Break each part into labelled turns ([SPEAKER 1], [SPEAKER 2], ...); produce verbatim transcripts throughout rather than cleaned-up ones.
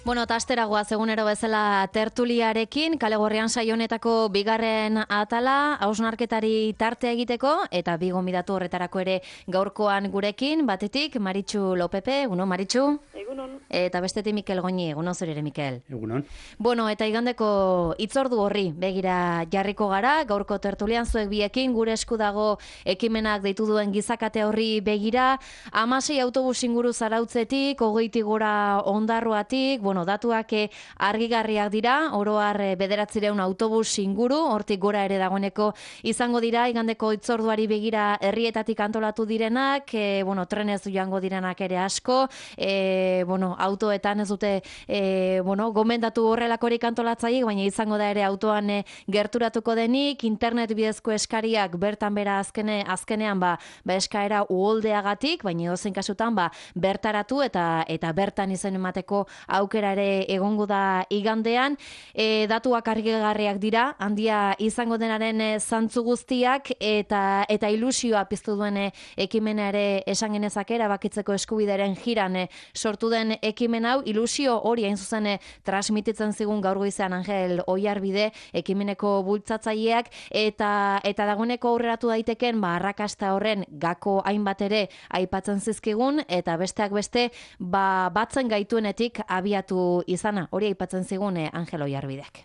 [SPEAKER 1] Bueno, eta asteragoaz egunero bezala tertuliarekin, Kale Gorrian saio honetako bigarren atala, hausnarketari tarte egiteko, eta bi gonbidatu horretarako ere gaurkoan gurekin, batetik Maritxu Lopepe, egunon Maritxu?
[SPEAKER 2] Egunon.
[SPEAKER 1] Eta bestetik Mikel Goñi, egunon zure ere Mikel?
[SPEAKER 3] Egunon.
[SPEAKER 1] Bueno, eta igandeko hitzordu horri begira jarriko gara, gaurko tertulian zuek biekin, gure esku dago ekimenak deitu duen gizakate horri begira, hamasei autobus inguru zarautzetik, hogeitik gora ondarroatik, bueno, datuak argigarriak dira, oro har bederatzireun autobus inguru, hortik gora ere dagoeneko izango dira, igandeko hitzorduari begira herrietatik antolatu direnak, e, bueno, trenez joango direnak ere asko, e, bueno, autoetan ez dute, e, bueno, gomendatu horrelakorik antolatzaiek, baina izango da ere autoan e, gerturatuko denik, internet bidezko eskariak bertan bera azkene, azkenean ba, ba eskaera uholdeagatik, baina edozein kasutan ba, bertaratu eta eta bertan izen emateko aukera ere egongo da igandean, e, datuak argigarriak dira, handia izango denaren e, zantzu guztiak eta eta ilusioa piztu duen e, ekimena ere esan genezake erabakitzeko eskubideren jiran e, sortu den ekimen hau, ilusio hori hain zuzen e, transmititzen zigun gaur goizean Angel Oiarbide ekimeneko bultzatzaileak eta eta dagoeneko aurreratu daiteken ba arrakasta horren gako hainbat ere aipatzen zizkigun eta besteak beste ba batzen gaituenetik abiatu izana, hori aipatzen zigun eh, Angel Oiarbidek.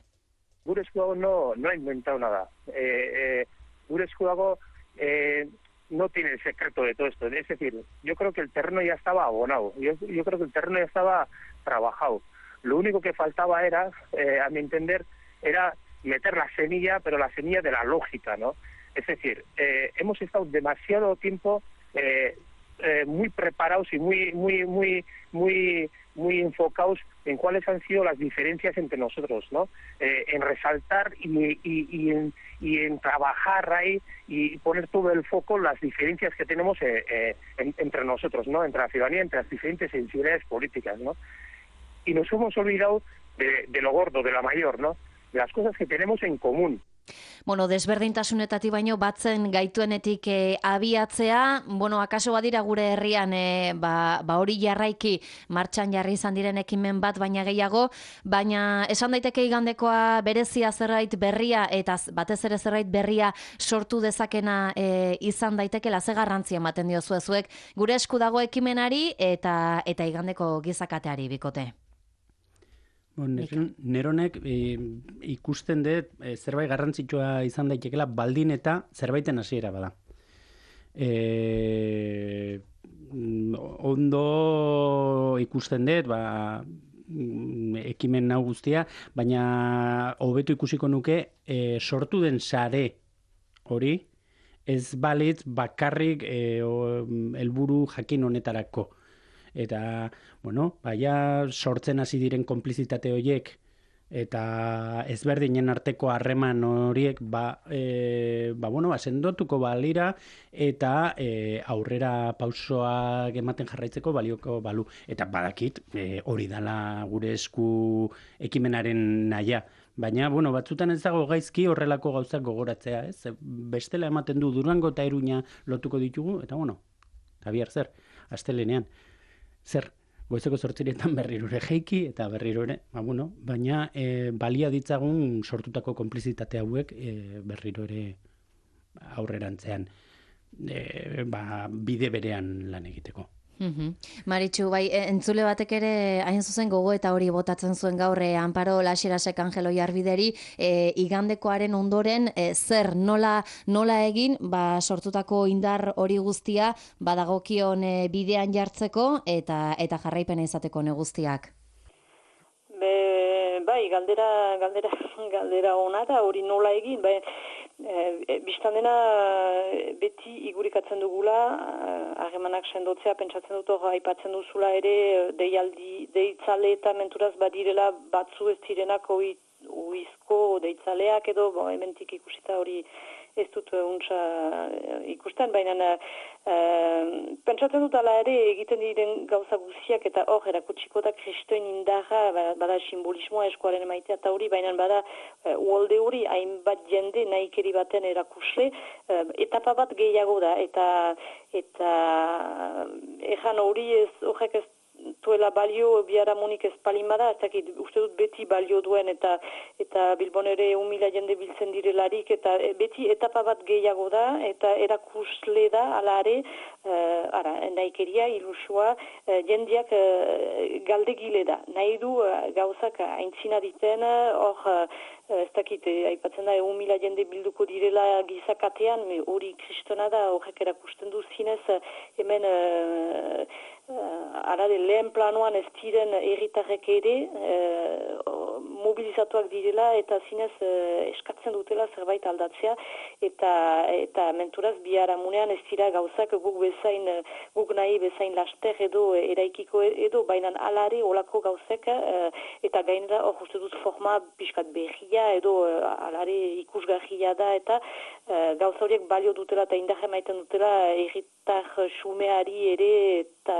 [SPEAKER 2] Gure esku dago no, no ha inventado nada. Eh, eh, gure esku dago eh, no tiene el secreto de todo esto. Es decir, yo creo que el terreno ya estaba abonado. Yo, yo creo que el terreno ya estaba trabajado. Lo único que faltaba era, eh, a mi entender, era meter la semilla, pero la semilla de la lógica, ¿no? Es decir, eh, hemos estado demasiado tiempo eh, eh, muy preparados y muy, muy, muy, muy, muy enfocados en cuáles han sido las diferencias entre nosotros, ¿no? Eh, en resaltar y, y, y, en, y en trabajar ahí y poner todo el foco en las diferencias que tenemos eh, eh, en, entre nosotros, ¿no? Entre la ciudadanía, entre las diferentes sensibilidades políticas, ¿no? Y nos hemos olvidado de, de lo gordo, de la mayor, ¿no? De las cosas que tenemos en común.
[SPEAKER 1] Bueno, desberdintasunetatik baino batzen gaituenetik e, abiatzea, bueno, akaso badira gure herrian e, ba, ba hori jarraiki martxan jarri izan diren ekimen bat baina gehiago, baina esan daiteke igandekoa berezia zerbait berria eta batez ere zerbait berria sortu dezakena e, izan daitekela ze garrantzia ematen diozue zuek gure esku dago ekimenari eta eta igandeko gizakateari bikote.
[SPEAKER 3] Bon, neronek e, ikusten dut e, zerbait garrantzitsua izan daitekela baldin eta zerbaiten hasiera bada. E, ondo ikusten dut, ba, ekimen hau guztia, baina hobeto ikusiko nuke e, sortu den sare hori ez balitz bakarrik e, helburu jakin honetarako. Eta, bueno, baina sortzen hasi diren konplizitate horiek eta ezberdinen arteko harreman horiek ba, e, ba, bueno, ba, sendotuko balira eta e, aurrera pausoak ematen jarraitzeko balioko balu. Eta badakit e, hori dala gure esku ekimenaren naia. Baina, bueno, batzutan ez dago gaizki horrelako gauzak gogoratzea, ez? Bestela ematen du Durango eta Iruña lotuko ditugu, eta bueno, eta bihar zer, astelenean. Zer, goizeko zortzirietan berriro ere jeiki eta berriro ere, ba, bueno, baina e, balia ditzagun sortutako konplizitate hauek e, berriro ere aurrerantzean e, ba, bide berean lan egiteko.
[SPEAKER 1] Mm-hmm. Maritxu, bai, entzule batek ere hain zuzen gogo eta hori botatzen zuen gaur e, Amparo Laxerasek Angel Oiarbideri e, igandekoaren ondoren e, zer nola, nola egin ba, sortutako indar hori guztia badagokion e, bidean jartzeko eta eta jarraipena izateko ne guztiak.
[SPEAKER 4] Be, bai, galdera, galdera, galdera ona da hori nola egin, bai, E, biztan dena beti igurikatzen dugula, harremanak sendotzea, pentsatzen dut hor aipatzen duzula ere, deialdi, deitzale eta menturaz badirela batzu ez zirenak uizko deitzaleak edo, bo, hementik ikusita hori ez dut untsa ikusten, baina uh, pentsatzen dut ala ere egiten diren gauza guziak eta hor erakutsiko da kristoen indarra, bada simbolismoa eskuaren emaitea eta hori, baina bada uh, uolde hori hainbat jende nahikeri baten erakusle, uh, etapa bat gehiago da, eta eta erran hori ez, horrek ez duela balio biharamunik ez palimada, ez dakit, uste dut beti balio duen eta eta Bilbon ere un mila jende biltzen direlarik, eta beti etapa bat gehiago da, eta erakusle da, ala ere, uh, ara, nahikeria, ilusua, uh, jendiak uh, galdegile da. Nahi du uh, gauzak aintzina diten, hor, uh, ez dakit, aipatzen da, egun mila jende bilduko direla gizakatean, hori kristona da, horrek erakusten du zinez, hemen uh, uh, arade lehen planoan ez diren herritarrek ere uh, mobilizatuak direla eta zinez uh, eskatzen dutela zerbait aldatzea, eta eta menturaz biharamunean ez dira gauzak guk bezain, guk nahi bezain laster edo eraikiko edo, baina alare olako gauzek, uh, eta gainera hor uste dut forma pixkat berria edo uh, alare ikusgarria da, eta uh, gauza horiek balio dutela eta indarra maiten dutela herritar xumeari ere eta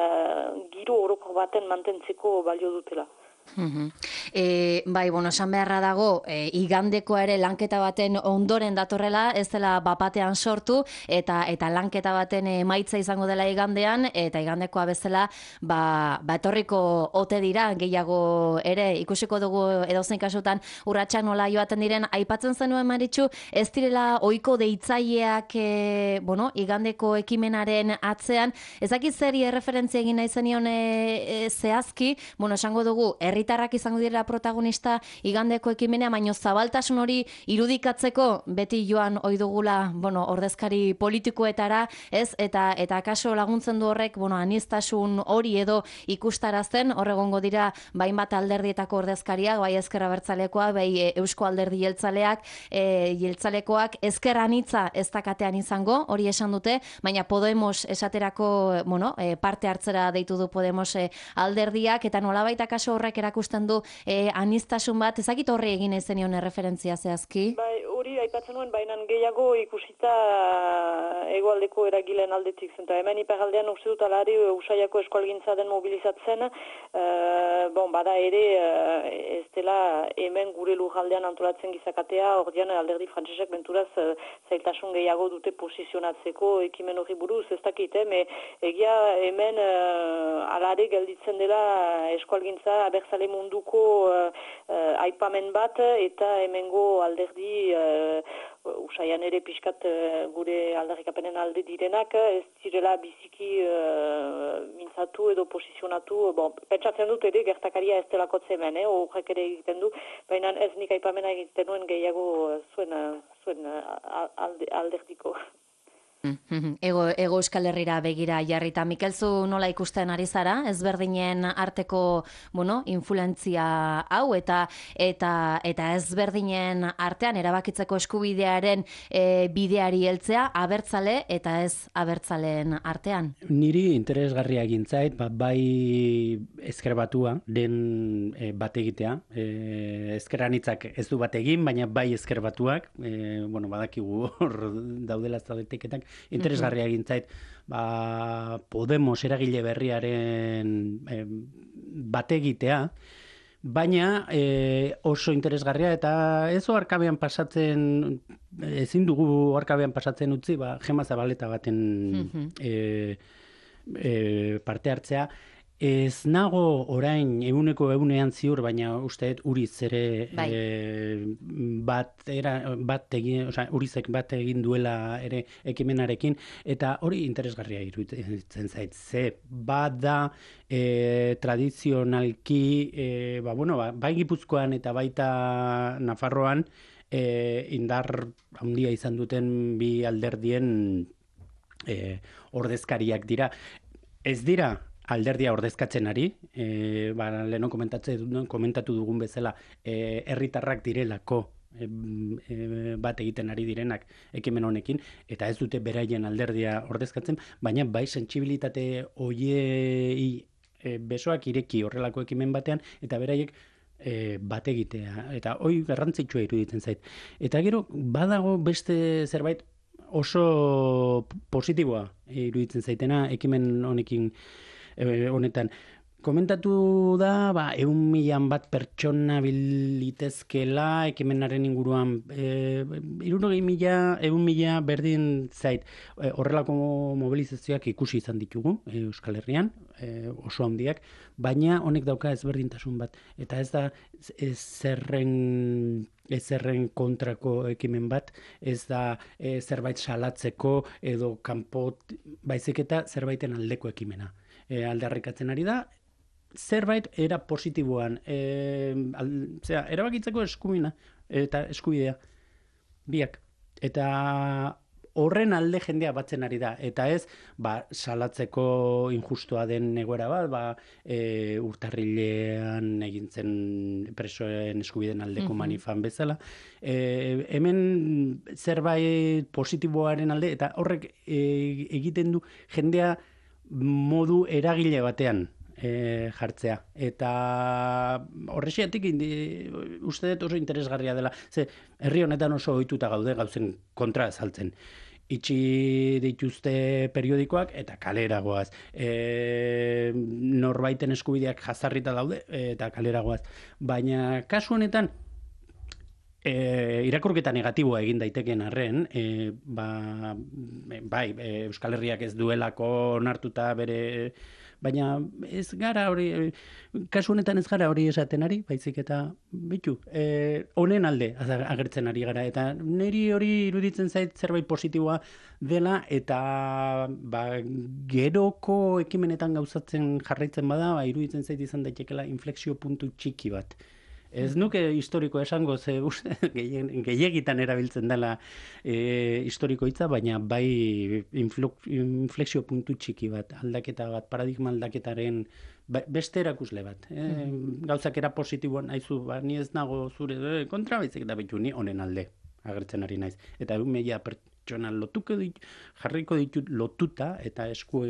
[SPEAKER 4] giro orokor baten mantentzeko balio dutela.
[SPEAKER 1] Mm-hmm. E, bai, bueno, esan beharra dago, e, igandeko ere lanketa baten ondoren datorrela, ez dela bapatean sortu, eta eta lanketa baten emaitza izango dela igandean, eta igandekoa bezala, ba, ba etorriko ote dira, gehiago ere, ikusiko dugu edozein kasutan urratsak nola joaten diren, aipatzen zenuen Maritxu, ez direla ohiko deitzaileak, e, bueno, igandeko ekimenaren atzean, ez dakit zeri erreferentzia egin nahi zenion e, e, zehazki, bueno, esango dugu, herritarrak izango dira protagonista igandeko ekimenea, baino zabaltasun hori irudikatzeko beti joan ohi dugula, bueno, ordezkari politikoetara, ez? Eta eta kaso laguntzen du horrek, bueno, anistasun hori edo ikustarazten, hor egongo dira bainbat alderdietako ordezkariak, bai Ezker Abertzalekoa, bai Eusko Alderdi Jeltzaleak, e, Jeltzalekoak ezker anitza ez dakatean izango, hori esan dute, baina Podemos esaterako, bueno, e, parte hartzera deitu du Podemos e, alderdiak, eta nolabait kaso horrek erakusten du eh, anistasun bat, ezakit horri egin ezenion erreferentzia zehazki?
[SPEAKER 4] Bai, hori aipatzen nuen, baina gehiago ikusita hegoaldeko eragileen aldetik zen. Hemen iparaldean uste dut alari Usaiako eskualgintza den mobilizatzen, uh, bon, bada ere uh, ez dela hemen gure lujaldean antolatzen gizakatea, ordean alderdi frantsesek benturaz uh, zailtasun gehiago dute posizionatzeko ekimen hori buruz, ez dakit, eh? Egia hemen uh, alare gelditzen dela eskualgintza abertzale munduko uh, uh, aipamen bat, eta hemengo alderdi uh, Usaian ere pixkat uh, gure aldarrikapenen alde direnak ez direla biziki uh, mintzatu edo posizionatu, bon, pentsatzen dut ere gertakaria ez delakotze hemen, eh? Horrek ere egiten du, baina ez nik aipamena egiten nuen gehiago zuen, zuen alde, alderdiko.
[SPEAKER 1] Ego, ego Euskal Herrira begira jarrita. Mikelzu nola ikusten ari zara, ezberdinen arteko, bueno, influentzia hau, eta eta eta ezberdinen artean erabakitzeko eskubidearen e, bideari heltzea, abertzale eta ez abertzaleen artean?
[SPEAKER 3] Niri interesgarria egintzait, ba, bai ezker batua, den e, bat egitea. E, ezker anitzak ez du bat egin, baina bai ezker batuak, e, bueno, badakigu hor daudela zaudetiketak, interesgarria egin zait, ba, Podemos eragile berriaren e, bat egitea, baina e, oso interesgarria, eta ez oarkabean pasatzen, ezin dugu oarkabean pasatzen utzi, ba, Gema Zabaleta baten mm-hmm. e, e, parte hartzea. Ez nago orain eguneko egunean ziur, baina usteet Uriz ere bai. e, bat, era, bat egin, oza, Urizek bat egin duela ere ekimenarekin, eta hori interesgarria iruditzen zait. Ze bada e, tradizionalki, e, ba, bueno, ba, bai Gipuzkoan eta baita Nafarroan e, indar handia izan duten bi alderdien e, ordezkariak dira. Ez dira alderdia ordezkatzen ari, e, ba, leheno komentatu dugun bezala, e, herritarrak direlako e, e, bat egiten ari direnak ekimen honekin, eta ez dute beraien alderdia ordezkatzen, baina bai sentsibilitate hoiei e, besoak ireki horrelako ekimen batean, eta beraiek e, bat egitea, eta hoi garrantzitsua iruditzen zait. Eta gero, badago beste zerbait oso positiboa iruditzen zaitena ekimen honekin, honetan, Komentatu da, ba, eun milan bat pertsona bilitezkela, ekimenaren inguruan, e, irurogei mila, eun mila berdin zait, e, horrelako mobilizazioak ikusi izan ditugu, e, Euskal Herrian, e, oso handiak, baina honek dauka ezberdintasun bat, eta ez da ez zerren ezerren kontrako ekimen bat, ez da e, zerbait salatzeko edo kanpo, baizik eta zerbaiten aldeko ekimena. E, aldarrikatzen ari da, zerbait era positiboan, e, al, zera, erabakitzeko eskubina eta eskubidea biak. Eta horren alde jendea batzen ari da. Eta ez, ba, salatzeko injustua den egoera bat, ba, e, urtarrilean egin zen presoen eskubideen aldeko mm-hmm. manifan bezala. E, hemen zerbait positiboaren alde, eta horrek e, egiten du jendea modu eragile batean E, jartzea. Eta horrexiatik uste dut oso interesgarria dela. Ze, herri honetan oso ohituta gaude gauzen kontra azaltzen. Itxi dituzte periodikoak eta kaleragoaz. E, norbaiten eskubideak jazarrita daude eta kaleragoaz. Baina kasu honetan E, irakurketa negatiboa egin daitekeen arren, e, ba, bai, e, Euskal Herriak ez duelako onartuta bere, baina ez gara hori, kasu honetan ez gara hori esaten ari, baizik eta bitu, e, honen alde agertzen ari gara, eta niri hori iruditzen zait zerbait positiboa dela, eta ba, geroko ekimenetan gauzatzen jarraitzen bada, ba, iruditzen zait izan daitekela inflexio puntu txiki bat. Ez nuke historiko esango, ze gehiagitan erabiltzen dela e, historiko hitza, baina bai inflexio puntu txiki bat, aldaketa bat, paradigma aldaketaren beste erakusle bat. E, gauzak era positiboan naizu, ba, ni ez nago zure kontra, baizik eta betu ni honen alde agertzen ari naiz. Eta egun meia pertsona lotuko dit, jarriko ditut lotuta eta esku,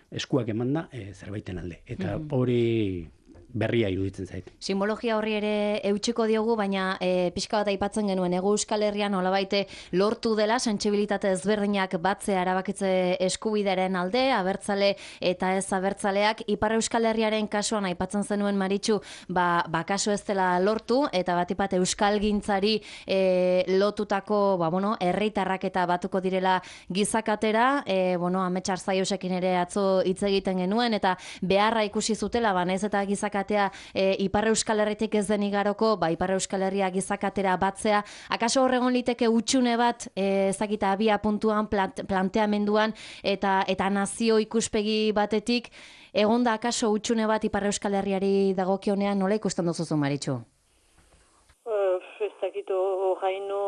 [SPEAKER 3] eskuak emanda e, zerbaiten alde. Eta hori berria iruditzen zait.
[SPEAKER 1] Simbologia horri ere eutxiko diogu, baina e, pixka bat aipatzen genuen, Hego Euskal Herrian nolabaite lortu dela sentsibilitate ezberdinak batzea erabakitze eskubidearen alde, abertzale eta ez abertzaleak. Ipar Euskal Herriaren kasuan aipatzen zenuen Maritxu, ba, ba kaso ez dela lortu, eta batipat euskalgintzari e, lotutako, ba, bueno, herritarrak eta batuko direla gizakatera, e, bueno, Amets Arzaiusekin ere atzo hitz egiten genuen, eta beharra ikusi zutela, ba, naiz eta gizakatea E, Ipar Euskal Herritik ez den igaroko, ba, Ipar Euskal Herria gizakatera batzea, akaso horregon liteke utxune bat, e, ezakita abia puntuan, plant, planteamenduan, eta, eta nazio ikuspegi batetik, egonda akaso utxune bat Ipar Euskal Herriari dagokionean, nola ikusten duzuzu, Maritxu?
[SPEAKER 4] Uh, ez dakito, jaino...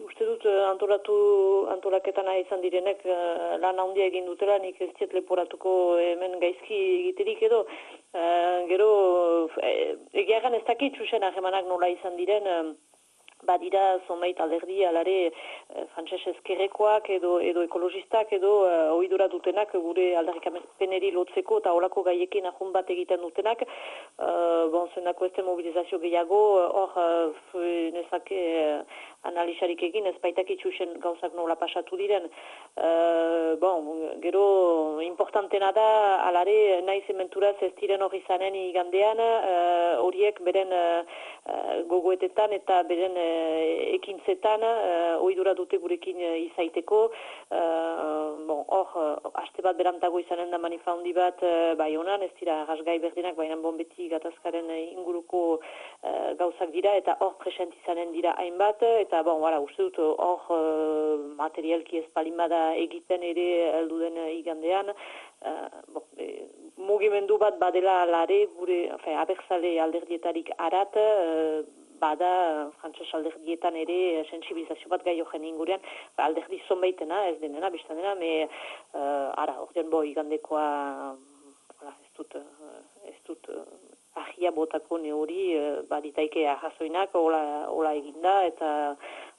[SPEAKER 4] Uste dut antolatu antolaketan izan direnek uh, lan handia egin dutela, nik ez diet leporatuko hemen gaizki egiterik edo. Uh, gero, uh, egiagan ez dakit txusen ahemanak nola izan diren, uh, badira zonbait alderdi alare uh, frantses ezkerrekoak edo, edo ekologistak edo uh, oidura dutenak gure aldarrikapeneri lotzeko eta olako gaiekin ahun bat egiten dutenak. Uh, bon, zenako ez mobilizazio gehiago, hor uh, nezake uh, analizarik egin, ez baitak itxusen gauzak nola pasatu diren. Uh, bon, gero importantena da, alare naiz ementuraz ez diren hori zanen igandean, uh, horiek beren uh, gogoetetan eta beren uh, ekintzetan uh, oidura dute gurekin uh, izaiteko. Uh, bon, hor, uh, aste bat berantago izanen da manifaundi bat uh, bai honan, ez dira rasgai berdinak, baina bonbeti gatazkaren uh, inguruko uh, gauzak dira, eta hor present izanen dira hainbat, eta bon, wala, uste dut hor uh, materialki ez palimada egiten ere heldu den uh, igandean, uh, bon, e, mugimendu bat badela lare gure, fe, abertzale alderdietarik arat, uh, bada frantses alderdietan ere sensibilizazio bat gai horren ingurean, ba, alderdi zonbaitena, ez denena, biztan dena, me, uh, ara, ordean bo, igandekoa, uh, ez dut, uh, ez dut, uh, ahia botako neuri, uh, baditaike ahazoinak, hola, hola eginda, eta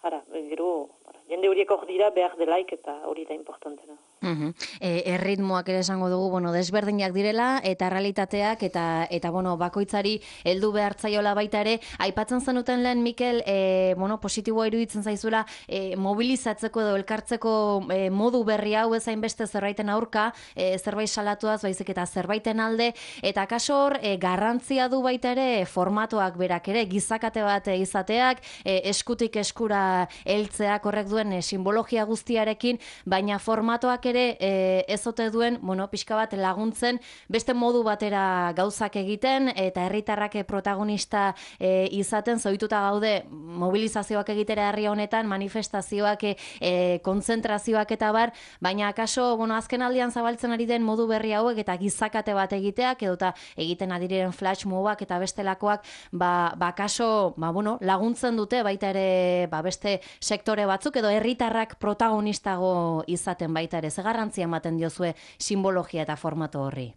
[SPEAKER 4] ara, gero, jende horiek hor dira behar delaik eta hori da importantena.
[SPEAKER 1] Uhum. E, erritmoak ere esango dugu, bueno, desberdinak direla eta realitateak eta eta bueno, bakoitzari heldu behartzaiola baita ere. Aipatzen zenuten lehen Mikel, e, bueno, positiboa iruditzen zaizuela e, mobilizatzeko edo elkartzeko e, modu berri hau ezain beste zerbaiten aurka, e, zerbait salatuaz baizik eta zerbaiten alde, eta kaso hor e, garrantzia du baita ere formatoak berak ere, gizakate bat izateak, e, eskutik eskura heltzeak horrek duen e, simbologia guztiarekin, baina formatoak ere e, ezote duen, bueno, pixka bat laguntzen beste modu batera gauzak egiten eta herritarrak protagonista e, izaten zoituta gaude mobilizazioak egitera herri honetan, manifestazioak, e, kontzentrazioak eta bar, baina akaso, bueno, azken aldian zabaltzen ari den modu berri hauek eta gizakate bat egiteak edota egiten adiren flash mobak eta bestelakoak, ba, ba kaso, ba, bueno, laguntzen dute baita ere ba, beste sektore batzuk edo herritarrak protagonistago izaten baita ere. Ze garrantzia ematen diozue simbologia eta formato horri?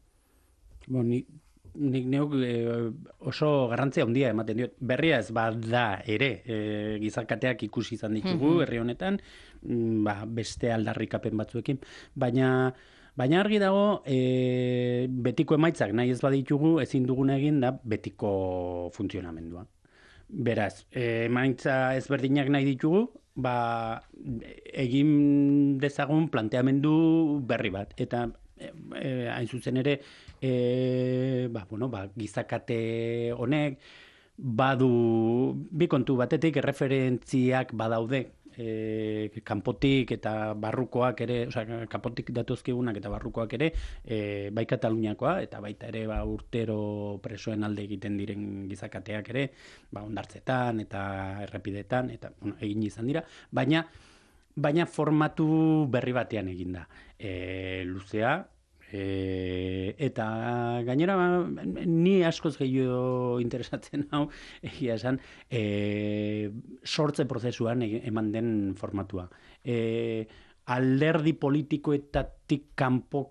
[SPEAKER 3] Bo, nik, nik neuk e, oso garrantzia handia ematen diot. Berria ez bada ere, e, gizarkateak ikusi izan ditugu mm-hmm. herri honetan, ba, beste aldarrikapen batzuekin, baina Baina argi dago, e, betiko emaitzak nahi ez baditugu, ezin duguna egin da betiko funtzionamendua. Beraz, e, emaitza ezberdinak nahi ditugu, ba, egin dezagun planteamendu berri bat. Eta e, e, hain zuzen ere, e, ba, bueno, ba, gizakate honek, badu bi kontu batetik erreferentziak badaude. E, kanpotik eta barrukoak ere, osea, kanpotik datozkigunak eta barrukoak ere, e, bai Kataluniakoa eta baita ere ba, urtero presoen alde egiten diren gizakateak ere, ba, hondartzetan eta errepidetan, eta bueno, egin izan dira, baina baina formatu berri batean egin da. E, luzea, E, eta gainera ni askoz gehiago interesatzen hau egia esan e, sortze prozesuan eman den formatua. E, alderdi politikoetatik kanpo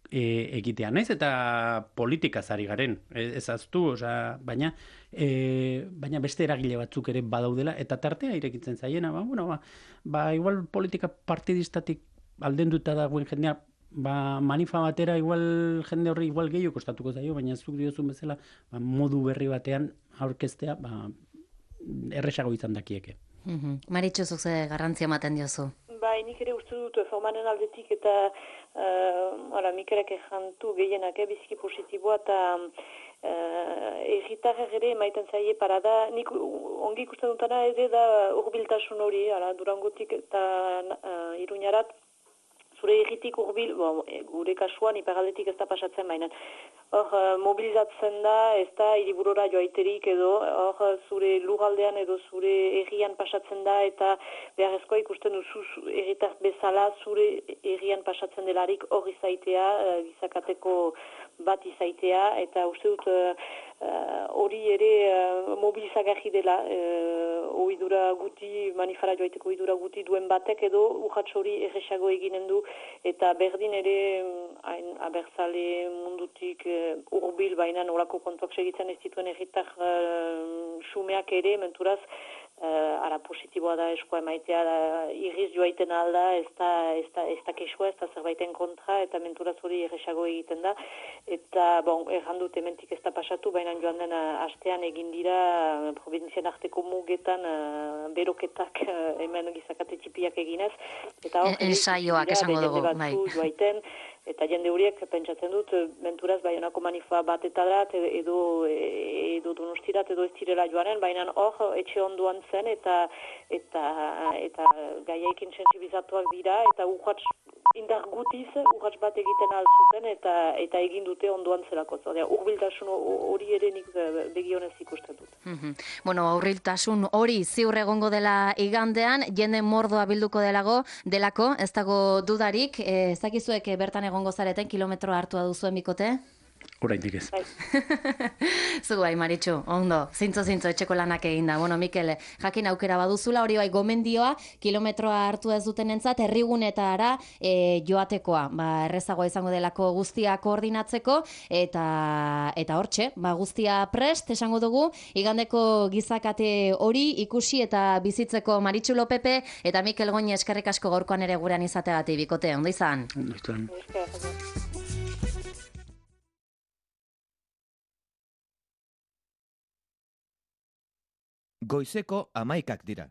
[SPEAKER 3] e, egitea naiz eta politikaz ari garen, ez aztu, osea, baina e, baina beste eragile batzuk ere badaudela eta tartea irekitzen zaiena, ba, bueno, ba, ba igual politika partidistatik aldenduta dagoen jendea ba, manifa batera igual jende horri igual gehiago kostatuko zaio, baina zuk diozun bezala ba, modu berri batean aurkeztea ba, erresago izan dakieke.
[SPEAKER 1] Mm-hmm. Maritxu, zuk ze garrantzia ematen diozu?
[SPEAKER 4] Bai, nik ere uste dut formaren aldetik eta uh, Mikelek ejantu gehienak eh, biziki positiboa eta uh, erritarrak ere maiten zaie parada. Nik ongi ikusten dutana ere da urbiltasun hori, ala, Durangotik eta uh, Iruñarat, zure erritik urbil, bon, gure kasuan iparaldetik ez da pasatzen baina. Hor, mobilizatzen da, ez da hiriburura joaiterik edo, hor, zure lurraldean edo zure herrian pasatzen da eta beharrezkoa ikusten duzu herritar bezala zure herrian pasatzen delarik hor izaitea, gizakateko bat izaitea eta uste dut hori uh, ere uh, mobilizagarri dela uh, oidura guti, manifara joaiteko oidura guti duen batek edo urratx hori erresago eginen du eta berdin ere hain abertzale mundutik uh, urbil baina nolako kontuak segitzen ez dituen erritar uh, xumeak ere menturaz Uh, ara positiboa da eskoa emaitea da, irriz joaiten alda, ez da, ez da, ez da kesua, ez da zerbaiten kontra, eta menturaz hori erresago egiten da. Eta, bon, errandut ementik ez da pasatu, baina joan den astean egin dira uh, provinzian arteko mugetan uh, beroketak uh, hemen gizakate txipiak eginez. Eta hor,
[SPEAKER 1] ensaioak esango dugu, bai.
[SPEAKER 4] Joaiten, eta jende horiek pentsatzen dut, menturaz baionako manifa bat eta dat, edo, edo donostirat, edo ez direla joanen, baina hor, etxe onduan zen, eta eta eta gaiaikin sensibilizatuak dira, eta urratx indar gutiz, urratx bat egiten alzuten, eta eta egin dute onduan zelako. Urbiltasun hori ere nik begionez ikusten dut.
[SPEAKER 1] Mm-hmm. Bueno, urbiltasun hori ziur egongo dela igandean, jende mordoa bilduko delago, delako, ez dago dudarik, ez dakizuek bertan egongo zareten kilometro hartua duzuen bikote?
[SPEAKER 3] Oraindik ez.
[SPEAKER 4] Bai.
[SPEAKER 1] Zu bai, Maritxu, ondo, zintzo zintzo etxeko lanak egin da. Bueno, Mikel, jakin aukera baduzula, hori bai gomendioa, kilometroa hartu ez dutenentzat herrigunetara e, joatekoa. Ba, errezagoa izango delako guztia koordinatzeko, eta eta hortxe, ba, guztia prest, esango dugu, igandeko gizakate hori ikusi eta bizitzeko Maritxu Lopepe eta Mikel Goñi eskerrik asko gaurkoan ere gurean izateagatik bikote, ondo izan?
[SPEAKER 3] Ondo izan.
[SPEAKER 5] Goizeko hamaikak dira.